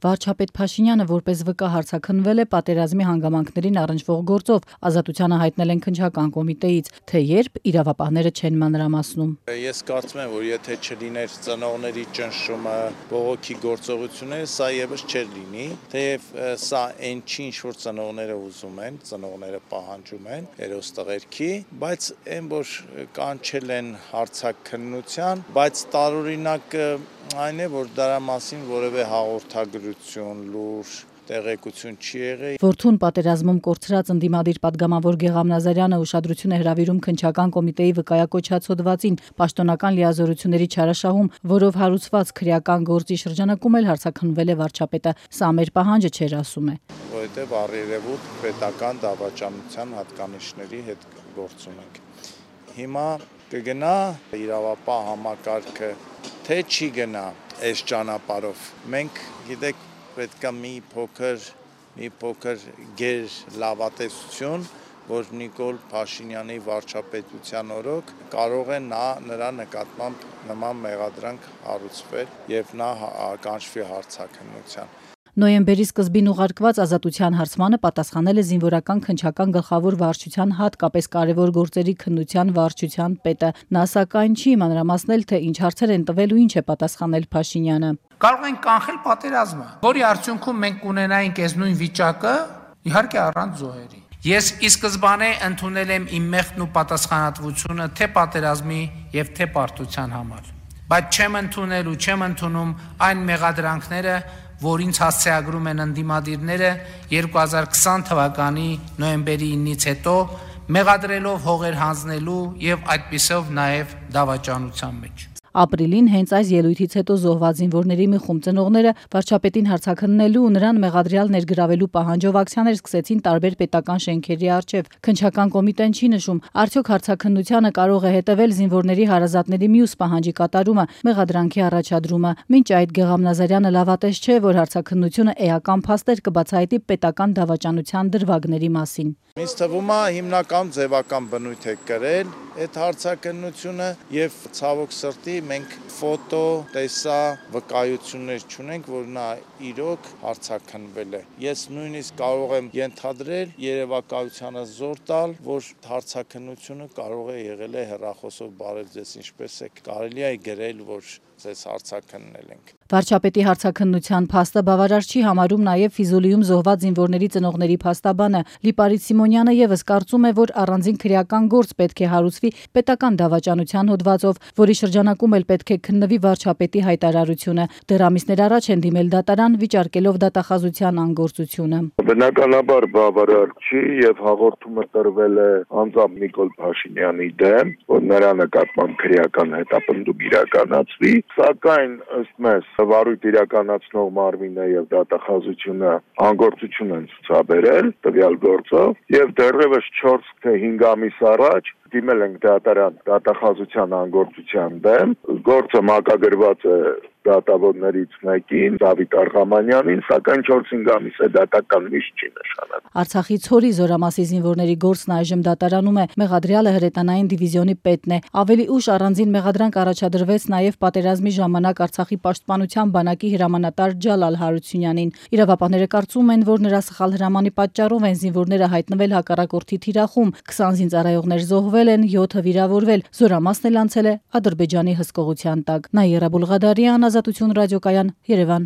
Վարչապետ Փաշինյանը որպես վկա հարցաքննվել է պատերազմի հանգամանքներին առնչվող գործով, ազատությանը հայտնել են քննչական կոմիտեից, թե երբ իրավապահները չեն մանրամասնում։ Ես կարծում եմ, որ եթե չլիներ ծնողների ճնշումը, բողոքի գործողությունները, սա եւս չէր լինի, թեև սա այն չի, ինչ որ ծնողները ուզում են, ծնողները պահանջում են հերոստղերքի, բայց այն որ կանչել են հարցաքննության, բայց տարօրինակ այն է, որ դրա մասին որևէ հաղորդագրություն, լուր, տեղեկություն չի եղել։ Որդուն պատերազմում կորցրած ընդդիմադիր պատգամավոր Գեգամ Նազարյանը ուշադրություն է հրավիրում քննչական կոմիտեի վկայակոչած հոդվածին, պաշտոնական լիազորությունների չարաշահում, որով հարուցված քրեական գործի շրջանակում էլ հարցաքննվել է վարչապետը։ Սա մեր պահանջը չէր, ասում է։ Որովհետև առերևույթ պետական դավաճանության հատկանիշների հետ գործ ունենք։ Հիմա կգնա իրավապահ համակարգը, թե չի գնա այս ճանապարհով։ Մենք գիտեք պետք է մի փոքր գեր լավատեսություն, որ Նիկոլ Փաշինյանի վարչապետության օրոք կարող է նրա նկատմամբ նման մեղադրանք հարուցվել եւ նա կանչվի հարցաքննության։ Նոյեմբերի սկզբին ուղարկված ազատության հարցմանը պատասխանել է զինվորական քննչական գլխավոր վարչության հատկապես կարևոր գործերի քննության վարչության պետը։ Նա սակայն չի մանրամասնել, թե ինչ հարցեր են տվել ու ինչ է պատասխանել Փաշինյանը։ Կարող ենք կանխել պատերազմը, որի արդյունքում մենք կունենայինք այս նույն վիճակը, իհարկե առանց զոհերի։ Ես ի սկզբանե ընդունել եմ իմ մեղքն ու պատասխանատվությունը թե պատերազմի եւ թե պարտության համար, բայց չեմ ընդունել ու չեմ ընդունում այն մեղադրանքները, որ ինձ հասցեագրում են ընդդիմադիրները 2020 թվականի նոյեմբերի 9-ից հետո, մեղադրելով հողեր հանձնելու եւ այդպիսով նաեւ դավաճանության մեջ։ Ապրիլին հենց այս ելույթից հետո զոհված զինվորների մի խումբ ծնողները վարչապետին հարցաքննելու ու նրան մեղադրյալ ներգրավելու պահանջով ակցիաներ սկսեցին տարբեր պետական շենքերի առջև։ Քննչական կոմիտեն չի նշում, արդյոք հարցաքննությանը կարող է հետևել զինվորների հարազատների մյուս պահանջի կատարումը, մեղադրանքի առաջադրումը։ Մինչ այդ Գեգամ Նազարյանը լավատես չէ, որ հարցաքննությունը էական փաստեր կբացահայտի պետական դավաճանության դրվագների մասին։ Ինձ թվում է հիմնական ձևական բնույթ է կրել այդ հարցաքննությունը եւ ցավոք սրտի մենք ֆոտո, տեսա վկայություններ չունենք, որ նա իրոք հարցաքննվել է։ Ես նույնիսկ կարող եմ ենթադրել երևակայությանը զոր տալ, որ հարցաքննությունը կարող է եղել է հեռախոսով բարև ձեզ ինչպես է կարելի է գրել, որ ձեզ հարցաքննել ենք։ Վարչապետի հարցաքննության փաստը բավարար չի համարում նաև Ֆիզուլիում զոհված զինվորների ծնողների փաստաբանը։ Լիպարիտ Սիմոնյանը եւս կարծում է, որ առանձին քրեական գործ պետք է հարուցվի պետական դավաճանության հոդվածով, որի շրջանակում էլ պետք է քննվի վարչապետի հայտարարությունը։ Դեռ ամիսներ առաջ են դիմել դատարան, վիճարկելով դատախազության անգործությունը։ Բնականաբար բավարար չի եւ հաղորդումը տրվել է անձամբ Նիկոլ Փաշինյանի դեմ, որ նրա նկատմամբ քրեական հետապնդում իրականացվի, սակայն ըստ մեզ վարույթ իրականացնող մարմինը եւ դատախազությունը անգործություն են ցուցաբերել տվյալ գործով եւ դեռևս 4 թե 5 ամիս առաջ դիմել ենք դատարան դատախազության անգործության դեմ, գործը մակագրված է դատավորներից մեկին, Դավիթ Արղամանյանին, սակայն 4-5 ամիս է դատական միշտ չի նշանակում։ Արցախի Ցորի Զորամասի զինվորների գործն այժմ դատարանում է, մեղադրյալը հրետանային դիվիզիոնի պետն է։ Ավելի ուշ առանձին մեղադրանք առաջադրվեց նաև պատերազմի ժամանակ Արցախի պաշտպանության բանակի հրամանատար Ջալալ Հարությունյանին։ Իրավապահները կարծում են, որ նրա սխալ հրամանի պատճառով են զինվորները հայտնվել հակառակորդի թիրախում, 20 զինծառայողներ զոհվել են, 7-ը վիրավորվել, Զորամասն էլ անցել է Ադրբեջանի հսկողության տակ։ Նաիրա Բուլղադարյան, Ազատություն ռադիոկայան, Երևան։